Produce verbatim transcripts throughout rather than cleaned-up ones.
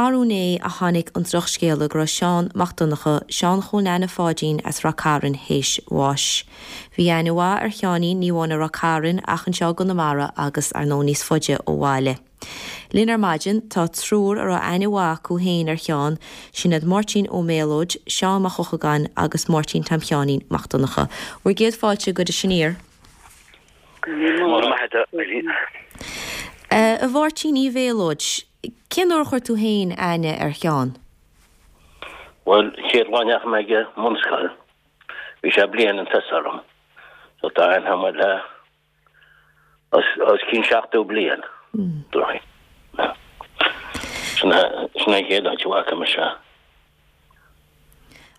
Arú inné a tháinig an drochscéala go raibh Seán Mac Donncha, Seán Chóil Neaine Pháidín as Rath Cairn théis bháis. Bhí aithne mhaith ar Sheáinín ní amháin i Rath Cairn ach anseo i gConamara agus ar ndóigh níos faide ó bhaile. Linn ar maidin tá triúr a raibh aithne mhaith acu féin ar Sheán, sin iad Máirtín Ó Méalóid, Seán Mac Eochagáin agus Máirtín Tom Sheáinín Mac Donncha. Bhur gcéad fáilte go dtí aniar. A Mháirtín Uí Mhéalóid, cén uair a chuir tú féin aithne ar Sheán? Bhuel, chéad lá a ndeachaigh mé ag an mbunscoil, bhí sé bliain chun tosaigh orm. So tá aithne agam air le os cionn seachtó bliain. Sin sin an chéad áit a bhfaca mise é.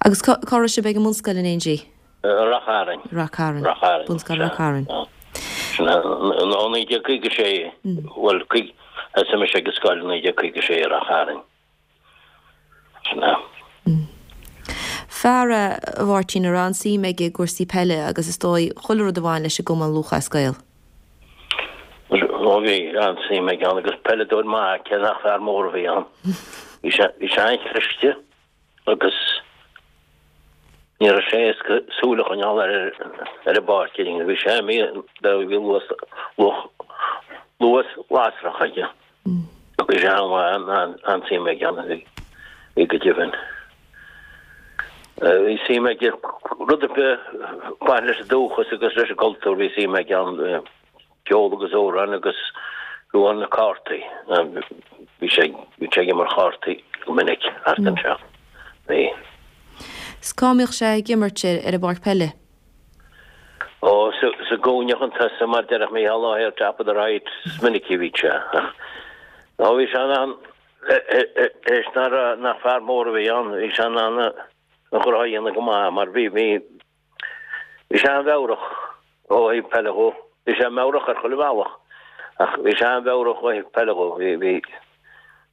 Agus cá raibh sibh ag an mbunscoil in éindí? Rath Cairn. Rath Cairn. Rath Cairn. Bunscoil Rath Cairn. Sin ó naoi déag caoga sé, bhuel, thosaigh mise ag an scoil i naoi déag caoga sé i Rath Cairn. Sin é. Fear a Mháirtín a raibh an-suim aige i gcúrsaí peile agus is dóigh chuile rud a bhain leis an gCumann Lúthchleas Gael. Ó bhí an-suim aige ann agus peileadóir maith cé nach fear mór a bhí ann. Bhí sé bhí sé an-chliste agus ní raibh sé éasca súil a choinneáil air ar an bpáirc ar aon bhí sé bhí luas luas lasrach aige. Bhí sé an-mhaith an-suim aige ann bhí go deimhin. Bhí suim aige rud ar bith a bhain leis an dúchas agus leis an gcultúr, bhí suim aige ann ceol agus amhráin agus fiú amháin na cártaí. Bhí sé bhí sé ag imirt cártaí go minic thart anseo. Bhí. 'S cá mbíodh sé ag imirt ar ar an bpáirc peile? Ó sa sa gcúinne chun tosaigh mar déarfadh Mícheál Ó ar top of the right is minic a bhí sé. Ó bhí sé in ann éis nach nach fear mór a bhí ann, bhí sé in ann a ghnó a dhéanamh go maith mar bhí bhí bhí sé an-mheabhrach ó thaobh peile dhó. Bhí sé meabhrach ar chuile bhealach ach bhí sé an-mheabhrach ó thaobh peile dhó. Bhí bhí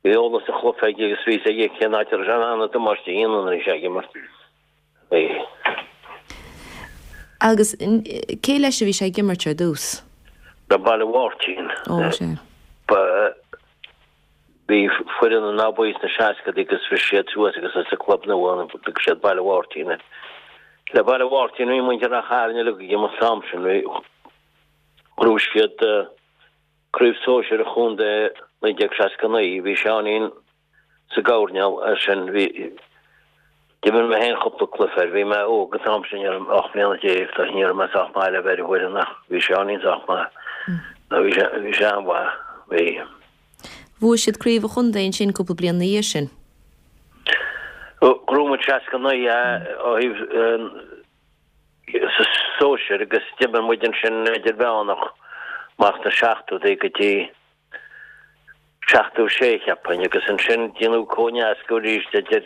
bhí eolas an chluiche aige agus bhí a fhios aige cén áit a raibh sé in ann an damáiste a dhéanamh nuair a bhí sé ag imirt. Bhí. Agus cé leis a bhí sé ag imirt ar dtús? Le Baile Mháirtín. Ó sé. Ba bhí foireann in Áth Buí sna seascadaí agus bhris siad suas agus as an club nua ann thug siad Baile Mháirtín air. Le Baile Mháirtín bhí muintir Rath Chairn uilig ag imirt an t-am sin bhí ghnóthaigh siad craobh sóisir an chontae naoi déag seasca naoi bhí Seáinín sa gcoirnéal air sin bhí d'imir mé féin cúpla cluiche air bhí mé óg an t-am sin ní raibh ocht mbliana déag tá ní raibh mé sách maith le bheith ar an bhfoireann ach bhí Seáinín sách maith bhí sé bhí sé an-mhaith bhí Bhuaigh siad craobh an chontae ansin cúpla bliain ina dhiaidh sin. Ghnóthaigh muid seasca naoi ó thaobh sa sóisir agus d'imir muid ansin idirmheánach amach sna seachtóidí go dtí seachtó sé cheapfainn agus ansin déanadh cóineascadh arís idir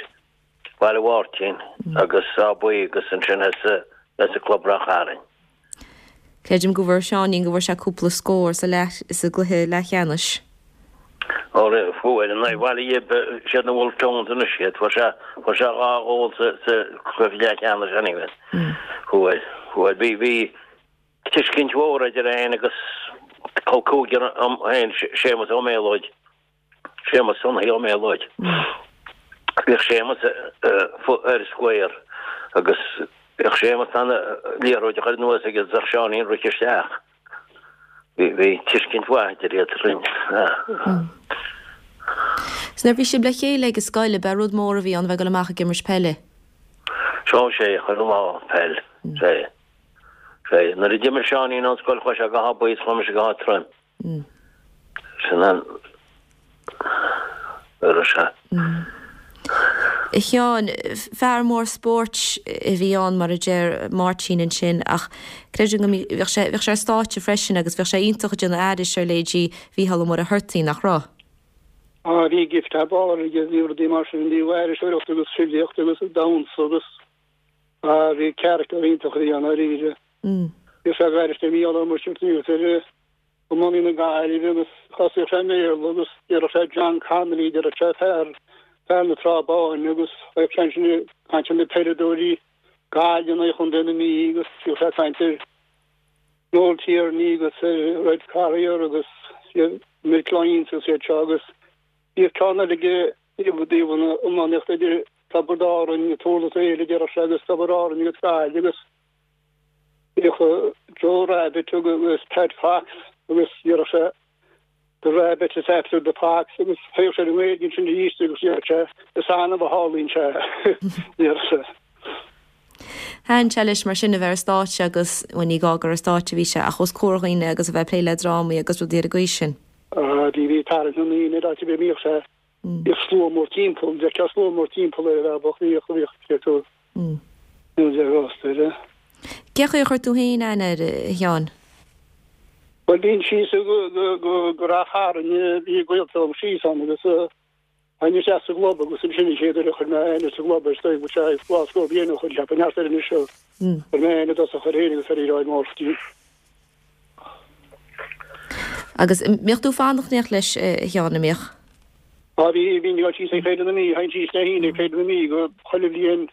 Baile Mháirtín agus Áth Buí agus ansin thosaigh club Rath Cairn. Creidim go bhfuair Seáinín go bhfuair sé cúpla scór sa leath sa gcluiche leathcheannais. Ó fuair in aghaidh Bhaile Ghib siad na Wolfe Tones anois iad fuair sé fuair sé dhá ghól sa sa chluiche leathcheannais anyway. Fuair fuair bhí bhí tuiscint mhór idir é féin agus col cúigear a'm féin Séamus Ó Méalóid. Séamus Sonnaí Ó Méalóid. Bhíodh Séamus ar square agus bhíodh Séamus an liathróid a chur anuas agus bheadh Seáinín rite isteach. Bhí bhí tuiscint mhaith idir iad sin. 'S nuair a bhí sibh le chéile ag an scoil, ab é rud mór a bhí ann bheith ag dul amach ag imirt peile? Seo sé chuile lá peil. Sé. Sé. Nuair a d'imigh Seáinín ón scoil chuaigh sé go hÁth Buí is chuaigh mise go hÁth Troim. Sin an raibh sé. A Sheáin, fear mór spóirt a bhí ann mar a deir Máirtín ansin ach creidim go bheadh sé bheadh sé ar stáitse freisin agus bheadh sé iontach ag déanamh aithris ar leithéidí Mhícheál Ó Muircheartaigh, nach raibh? Á bhí gift thar barr aige, bhí rudaí mar sin, bhí aithriseoireacht agus filíocht agus damhsa agus á bhí character iontach a bhí ann dáiríre. Bhí sé ag aithris ar Mhícheál Ó Muircheartaigh agus ar iománaí na Gaillimhe agus thosaíodh sé i mBéarla agus déarfadh sé John Connolly, déarfadh sé fear, fear na Trá Báine agus bheadh sé ansin ag caint ar na peileadóirí Gaillimh in aghaidh Chontae na Mí agus bhíodh sé ag caint ar Noel Tierney agus ar Red Carrier agus Mick Lyons agus iad seo agus bhíodh ceann eile aige I dtaobh na iománaíochta idir Tiobraid Árann, Thurles Éile, déarfadh sé, agus Tiobraid Árann agus Gaillimh agus bhíodh Joe Rabbitte agus Pat Fox agus déarfadh sé The Rabbit is after the fox agus théadh sé i nGaeilge ansin arís agus déarfadh sé is annamh a tharlaíonn sé, déarfadh sé. Thaitin sé leis mar sin a bheith ar stáitse agus, bhuel ní gá gur ar stáitse a bhí sé ach os comhair dhaoine agus a bheith ag plé le drámaí agus rudaí ar an gcaoi sin. Bhí, bhí tarraingt na ndaoine air áit ar bith a mbíodh sé. Bhíodh slua mór timpeall, d'fheicfeá slua mór timpeall air a bheadh, bhíodh, bhíodh, cé tú. Níl sé rósta air. Cé chaoi a chuir tú féin aithne air, a Sheáin? Bhuel, bhínn síos go, go, go, go Ráth Chairn, bhí gaolta liom síos ann agus théinn isteach sa gclub agus ansin an chéad uair a chuir mé aithne sa gclub air, is dóigh go bhfuil sé dhá scór bliain ó shin, cheapfainn, thart air anois, chuir mé aithne i dtosach air féin agus ar Mhícheál Máirtín. Agus an mbíodh tú ag fanacht in éineacht leis, a Sheáin, an mbíodh? Á bhí, bhínn ag dul síos ag Féile na Mí, théinn síos le hAoine ag Féile na Mí go chuile bhliain,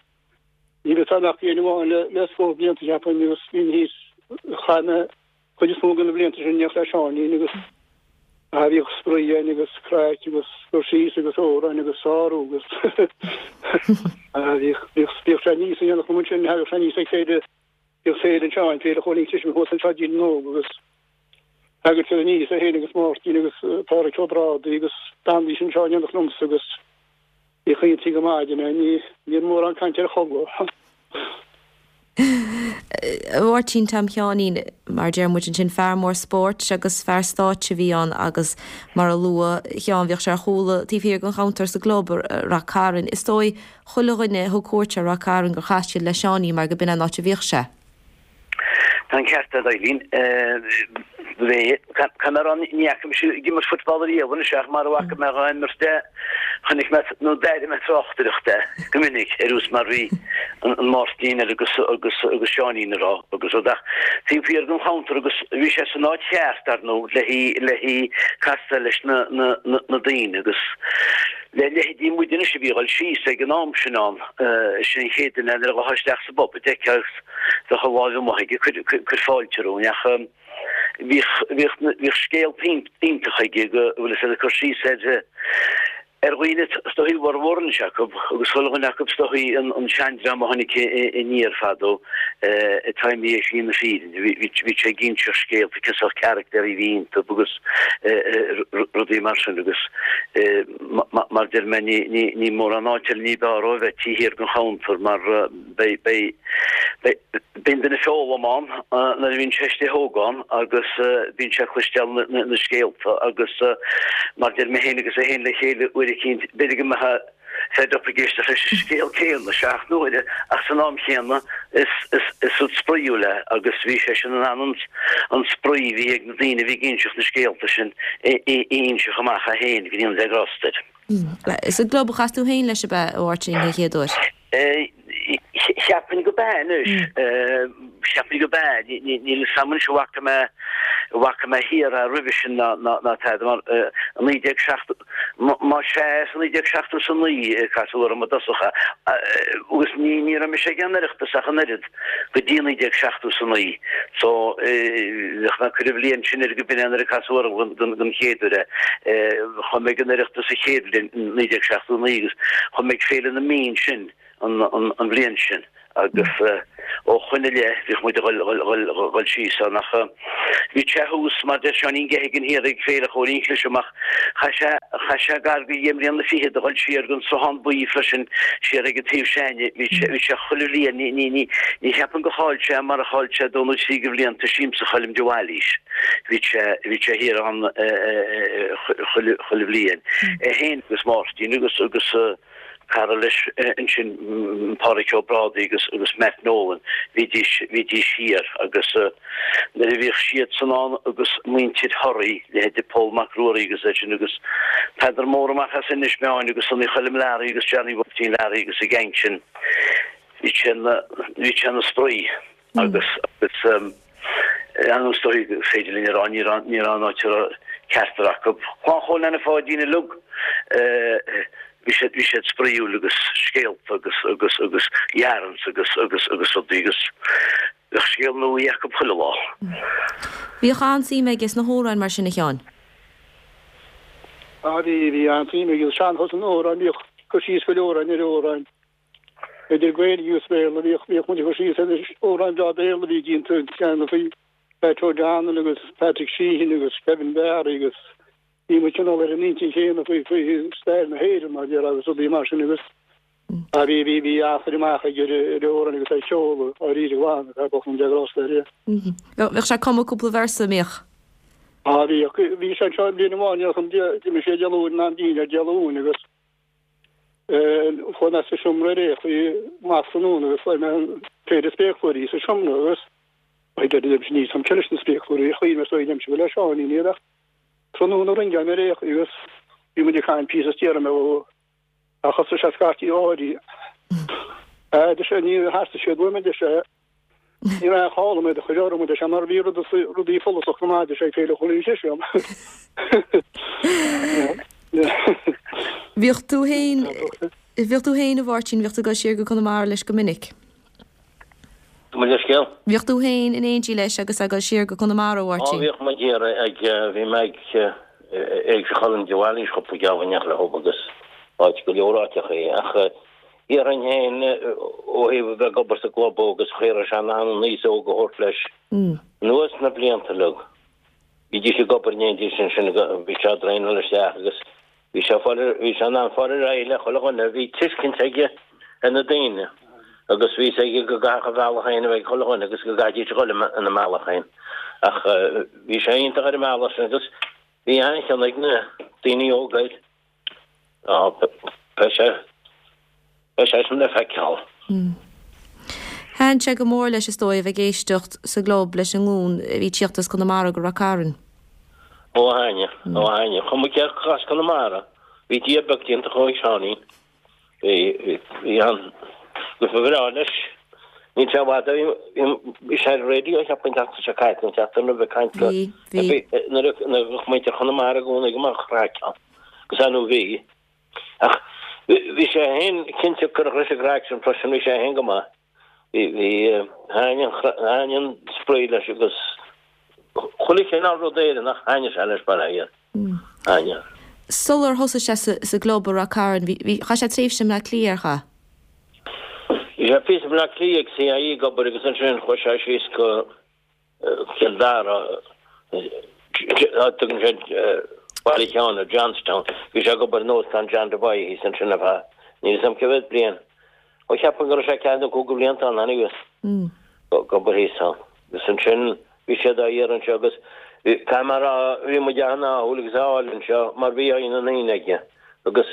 ní raibh ann ach bliain amháin le, le scór blianta cheapfainn agus bhínn thíos, chaith mé chuid is mó de na blianta sin in éineacht le Seáinín agus á bhíodh spraoi againn agus craic agus cur síos agus amhráin agus sárú agus á bhíodh, bhíodh, bhíodh sé aníos in éineacht liom ansin, thagadh sé aníos ag Féile Bhíodh féile anseo, an Féile Chóilín Cliseam thuas anseo i dTír na nÓg agus thagadh siad aníos, é féin agus Máirtín agus Pádhraic Ó Brádaigh agus d'fhanaidís anseo in éineacht liomsa agus bhí caointí go maidin ann, ní raibh mórán cainte ar chodladh. A Mháirtín Tom Sheáinín, mar a deir muid ansin, fear mór spóirt agus fear stáitse a bhí ann agus mar a luaigh Seán bhíodh sé ar chúl taobh thiar den chuntar sa gclub i Rath Cairn. Is dóigh chuile dhuine a thug cuairt ar Ráth Cairn gur chas siad le Seáinín mar go b'in an áit a bhíodh sé. Tá an ceart agat Eileen. Caithfidh mé a rá ní fhaca mise ag imirt football ariamh anois ach mar a bhfaca mé dhá imirt é chonaic mé nó d'airigh mé tráchtaireacht é go minic ar nós mar bhí an Máirtín agus agus agus Seáinín ag rá agus rud ach taobh thiar den chuntar agus bhí sé san áit cheart ar ndóigh le le castáil leis na na na daoine agus Le leithéidí muid anois a bhí ag dul síos ag an am sin ann, sin an chéad duine nuair a ghabhfá isteach sa bpub a d'fheicfeá agus bheadh a láimh amuigh aige ag cur fáilte romhainn ach bhíodh, bhíodh, bhíodh scéalta iontacha aige go bhfuil fhios agat ag cur síos ar, ar dhaoine is dóigh a bhformhór anois acu agus chuile dhuine acu is dóigh an, an seandream a tháinig aniar fadó atá imithe ar shlí na fírinne. Bhí, bhí sé ag inseacht scéalta cén sórt caractéirí a bhí iontu agus rudaí mar sin agus Mar deir mé, ní mórán áit eile ní b'fhearr dhó a bheith taobh thiar den chuntar mar beidh an duine ag foghlaim ann nuair a bhíonn sé istigh óg ann agus bíonn sé ag cloisteáil na scéalta agus mar deir mé féin agus é féin le chéile uair eicínt, b'fhéidir go mbeifeá fed up ag éisteacht leis an scéal céanna seacht n-uaire ach san am chéanna is rud spraíúil é agus bhí seisean in ann an spraoi a bhí ag na daoine a bhí ag inseacht na scéalta sin a inseacht amach é féin go ndéana Dia grásta air. Sa gclub a chas tú féin leis ab ea, a Mháirtín, den chéad uair? Cheapfainn go b'ea anois. Cheapfainn go b'ea. Níl fhios a'm anois an bhfaca mé, an bhfaca mé thiar é roimhe sin ná ná tada mar i naoi déag seachtó, más ea is i naoi déag seachtó is a naoi a casadh orm i dtosach é agus ní ní raibh mise ag an Oireachtas ach an oiread go dtí naoi déag seachtó is a naoi so bheadh mé ag cur an bhliain sin air go b'in é nuair a casadh orm don don chéad uair é. Chuaigh mé ag an Oireachtas sa chéad bhliain, naoi déag seachtó a naoi agus chuaigh mé ag Féile na Mí ansin an bhliain sin agus ó shoin i leith bhíodh muid ag dhul síos ann ach bhí sé thuas mar deir Seáinín Geoghegan thiar ag Féile Chóilín Chlisim ach chaith sé chaith sé gar go dheich mbliana fichead a dhul siar gon Sruthán Buí freisin siar ag an taobh s'a'inne bhí sé bhí sé chuile bhliain ní ní ní ní cheapaim gur chaill sé mar a chaill sé dó nó trí de bhlianta Siamsa Choilm de Bhailís bhí sé bhí sé thiar ann chuile chuile bhliain é féin agus Máirtín agus agus Cara leis ansin, Pádhraic Ó Brádaigh agus agus Matt Nolan, bhídís bhídís thiar agus nuair a bhíodh siadsan ann agus muintir Thoraí, leithéide Pól Mac Ruairí agus é sin agus Peadar Mór amach as Inis Meáin agus Sonny Choilm Learaí agus Johnny Mháirtín Learaí agus an gang sin, bhí sé ina bhí sé ina spraoi. Agus is dóigh gur féidir linn a rá, ní raibh ní raibh an áit a raibh ceachtar acu. Clann Chóil Anna Pháidín uilig, bhí siad bhí siad spraíúil agus scéalta agus agus agus yarns agus agus agus rudaí agus bheadh scéal nua acu chuile lá. Bhíodh an-suim aige sna hamhráin mar sin a Sheáin. Ah bhí bhí an-suim aige sean-nós an amhráin bhíodh cur síos go leor ar amhráin. Idir Gaeilge agus Béarla bhíodh bhíodh muid ag cur síos ar amhráin bhreá Béarla a bhí déanta cheana faoi Pat O'Donnell agus Patrick Sheehan agus Kevin Barry agus bhí muid cineál ar an intinn chéanna faoi faoi stair na hÉireann mar dhea agus rudaí mar sin agus ah bhí bhí bhí an-chur amach aige ar ar amhráin agus ar cheol dáiríre glan ar bocht an deagrás air. Bheadh sé ag cumadh cúpla véarsa an mbíodh? Ah bhíodh bhí sé anseo bliain amháin d'imigh sé Dé Luain in am dinnéir Dé Luain agus Chuaigh mé sa seomra ar aon chaoi amach tráthnóna agus fuair mé péire spéaclóirí sa seomra agus I deireadh liom níl 'fhios a'm cé leis na spéaclóirí a chuir mé so dheimse go le Seáinín iad ach tráthnóna ringeáil mé ar aon chaoi agus bhí muid ag caint píosa is déarfaidh mé ó ach thosaigh sé scaití áirí. A deir sé níor theastaigh siad uaim a deir sé ní raibh aon chall orm iad a chur orm a deir sé mar bhí rudaí follasach go maith a deir sé ag Féile Chóilín Chiseam. Bhíodh tú féin, bhíodh tú féin a Mháirtín, bhíodh tú ag dul siar go Conamara leis go minic? Gabh mo leithscéal? Bhíodh tú féin in éindí leis agus ag dul siar go Conamara, a Á, Mháirtín? bhíodh muid ag, bhí mé ag Éigse Cholm de Bhailís cúpla geábh in éineacht leo agus áit go leor áiteachaí ach dhéarfainn féin ó thaobh a bheith ag obair sa gclub agus cha raibh sé in ann an aos óg a thabhairt leis anuas na blianta uilig. Bhídís ag obair in éindí ansin bhí sé ag traenáil isteach agus bhí sé fáil bhí sé in ann fáil ar aghaidh le chuile dhuine, bhí tuiscint aige ar na daoine agus bhí fhios aige go gcaithfeadh a bhealach féin a bheith ag chuile dhuine agus go gcaithfidís a dhul ina mbealach féin ach bhí sé iontach ar an mbealach sin agus bhí an-chion ag na daoine óga air. Beidh sé beidh sé sin le feiceáil. Thaitin sé go mór leis is dóigh a bheith ag éisteacht sa gclub leis an nglúin a bhí ag tíocht as Conamara go Rath Cairn. Ó thaitnigh, ó thaitnigh. Chuma cé acu as Conamara, bhí Dia beag déanta chomh ag Seáinín. Bhí, bhí, bhí an, agus ba bhreá leis. Níl sé i bhfad ó bhí sé ar an raidió cheapfainn an tseachtain seo caite, an tseachtain roimhe ag caint go, Bhí, bhí. nuair a, nuair a bheadh muintir Chonamara i gcónaí go mbeadh craic ann. Agus ar ndóigh bhí. Ach bhí sé féin cinnte cuireadh leis an gcraic sin freisin, bhí sé féin go maith. Bhí, bhí, thaitnigh an, thaitnigh an spraoi leis agus chuile chineál rud Éireannach, thaitnigh sé leis bail ó Dhia air. Thaitnigh. Sular thosaigh sé sa, sa gclub i Rath Cairn, bhí, bhí, chaith sé tréimhse i mBleá Cliath, ar chaith? Bhí sé píosa i mBleá Cliath ag CIE ag obair agus ansin chuaigh sé síos go Cill Dara, tugann siad Baile Sheáin ar Johnstown. Bhí sé ag obair in Óstán John Devoy thíos ansin ar feadh, níl 'fhios a'm cé mhéad bliain. Ó cheapfainn go raibh sé ceathair nó cúig de bhlianta ann anyway ag obair thíos ann. Agus ansin bhí siad á iarraidh anseo agus caithfidh mé a rá bhí muid an-ádhúil agus á fháil anseo mar bhí aghaidh na ndaoine aige agus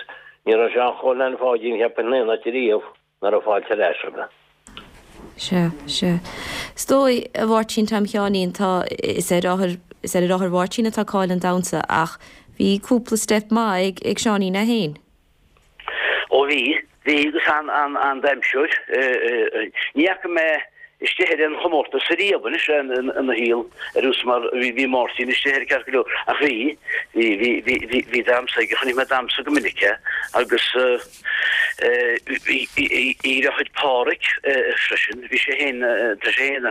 ní raibh Seán Chóil Leain Pháidín cheapfainn in aon áit ariamh nach raibh fáilte ar ais roimhe. Sea, sea. Is dóigh, a Mháirtín Tom Sheáinín, tá, is ar athair, is ar athair Mháirtín atá cáil an damhsa ach bhí cúpla steip maith ag, ag Seáinín é féin. Ó bhí, bhí agus an, an, an damhsóir, ní fhaca mé istigh ar aon chomórtas ariamh anois ina shaol ar nós mar bhí, bhí Máirtín istigh air ceart go leor ach bhí, bhí, bhí, bhí, bhí, bhí damhsa aige, chonaic mé damhsa go minic é agus, A dheartháir Páraic freisin, bhí sé féin, tá sé féin ina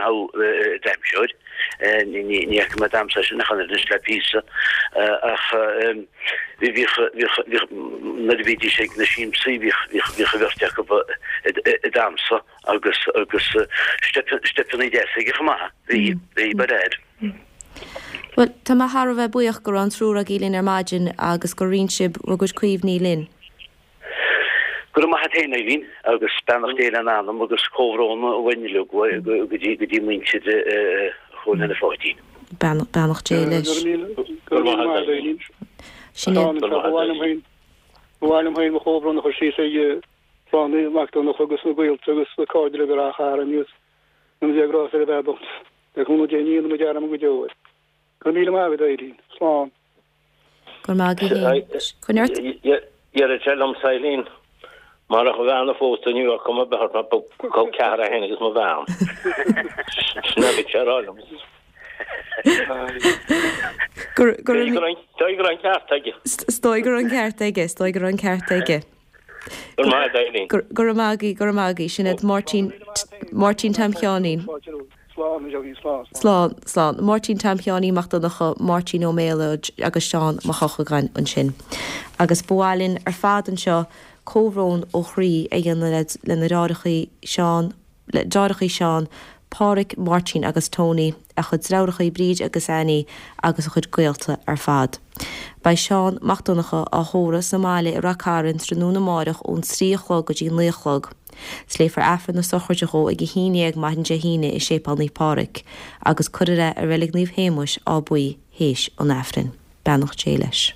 dhamhsóir, ní fhaca mé damhsa eisean ach an oiread anois le píosa, ach bhíodh, bhíodh, bhíodh, nuair a bhídís ag na siamsaí bhíodh, bhíodh, bhíodh an bheirt acu ag damhsa agus, agus steipeanna deasa aige chomh maith, bhí, bhí, ba léir. Bhuel, tá mé thar a bheith buíoch go raibh an triúr agaibh linn ar maidin agus gur roinn sibh bhur gcuid cuimhní linn. Go raibh maith a't féin, Eileen, agus beannacht Dé lena anam agus comhbhrón uainn uilig go dtí go dtí muintir Chóil Leain Pháidín. Beannacht Dé leis. Go raibh maith a't, Eileen. Sin é. Ba mhaith liom féin mo chomhbhrón a chur síos ag clann Mac Donncha agus na gaolta agus na cairde uilig i Ráth Chairn agus go ndéana Dia grásta ar an bhfear bocht. Le cúnamh Dé ní dhéanfaidh muid dearmad go deo air. Go raibh míle maith agat, Eileen. Slán. Go raibh maith agat féin. Coinnigh ort. Deireadh sé liom Eileen, marach a bhean a phósadh ní bheadh cuma ar bith ort mar ba col ceathar é féin agus mo bhean. Sin a bhí sé a rá liom. Go raibh go raibh an ceart aige. Is dóigh go raibh an ceart aige, is dóigh go raibh an ceart aige. Go raibh maith agat, Eileen. Go raibh maith agaibh, go raibh maith agaibh. Sin iad Máirtín Máirtín Tom Sheáinín. Slán, a Johnny, slán, slán. Slán, slán. Máirtín Tom Sheáinín Mac Donncha, Máirtín Ó Méalóid agus Seán Mac Eochagáin ansin. Agus ba mhaith linn ar fad anseo comhbhrón ó chroí a dhéanamh lena dheartháireachaí Seán, le deartháireachaí Seán, Páraic, Máirtín agus Tony, a chuid deirfiúrachaí Bríd agus Annie agus a chuid gaolta ar fad. Beidh Seán Mac Donncha á thórramh sa mbaile i Rath Cairn tráthnóna amáireach ón trí a chlog go dtí naoi a chlog. 's Léifear Aifreann na sochraide dhó ag a haon dhéag maidin Dé hAoine i Séipéal Naomh Pádraig, agus cuirfear é i Reilig Naomh Shéamuis, Áth Buí, théis an Aifrinn. Beannacht Dé leis.